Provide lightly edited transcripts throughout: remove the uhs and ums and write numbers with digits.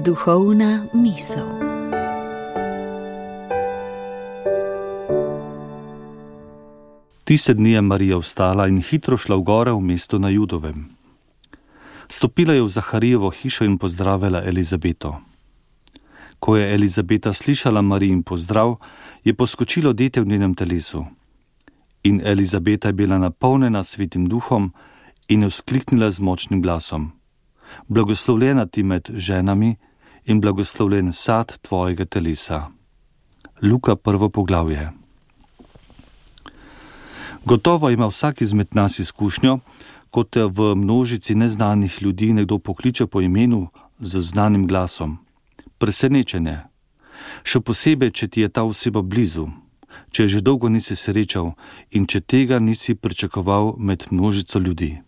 Duhovna misel. Tiste dni je Marija vstala in hitro šla v gore v mesto na Judovem. Stopila je v Zaharijevo hišo in pozdravila Elizabeto. Ko je Elizabeta slišala Marijin pozdrav, je poskočilo dete v njenem telesu. In Elizabeta je bila napolnjena Svetim Duhom in je vzkliknila z močnim glasom: Blagoslovljena ti med ženami in blagoslovljen sad tvojega telesa. Luka 1. poglavje. Gotovo ima vsak izmed nas izkušnjo, ko te v množici neznanih ljudi nekdo pokliče po imenu z znanim glasom. Presenečenje. Še posebej, če ti je ta oseba blizu, če je že dolgo nisi srečal in če tega nisi pričakoval med množico ljudi.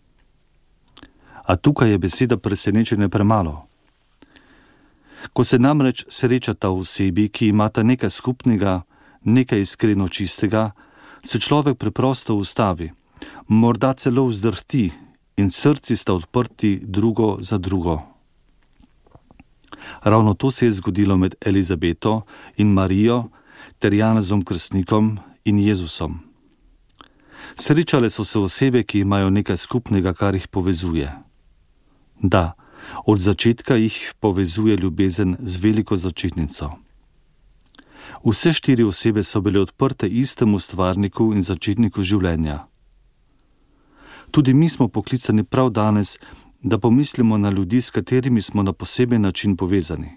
A tukaj je beseda presenečenje premalo. Ko se namreč srečata osebi, ki imata nekaj skupnega, nekaj iskreno čistega, se človek preprosto ustavi, morda celo vzdrhti in srci sta odprti drugo za drugo. Ravno to se je zgodilo med Elizabeto in Marijo ter Janezom Krstnikom in Jezusom. Srečale so se osebe, ki imajo nekaj skupnega, kar jih povezuje. Da, od začetka jih povezuje ljubezen z veliko začetnico. Vse 4 osebe so bile odprte istemu stvarniku in začetniku življenja. Tudi mi smo poklicani prav danes, da pomislimo na ljudi, s katerimi smo na poseben način povezani.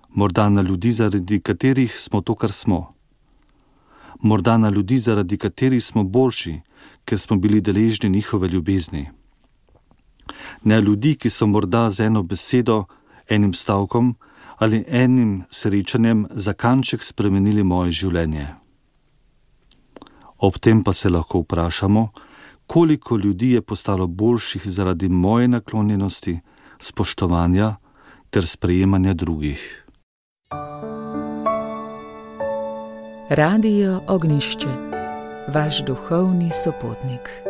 Morda na ljudi, zaradi katerih smo to, kar smo. Morda na ljudi, zaradi katerih smo boljši, ker smo bili deležni njihove ljubezni. Ne ljudi, ki so morda z eno besedo, enim stavkom ali enim srečanjem za kanček spremenili moje življenje. Ob tem pa se lahko vprašamo, koliko ljudi je postalo boljših zaradi moje naklonjenosti, spoštovanja ter sprejemanja drugih. Radio Ognjišče, vaš duhovni sopotnik.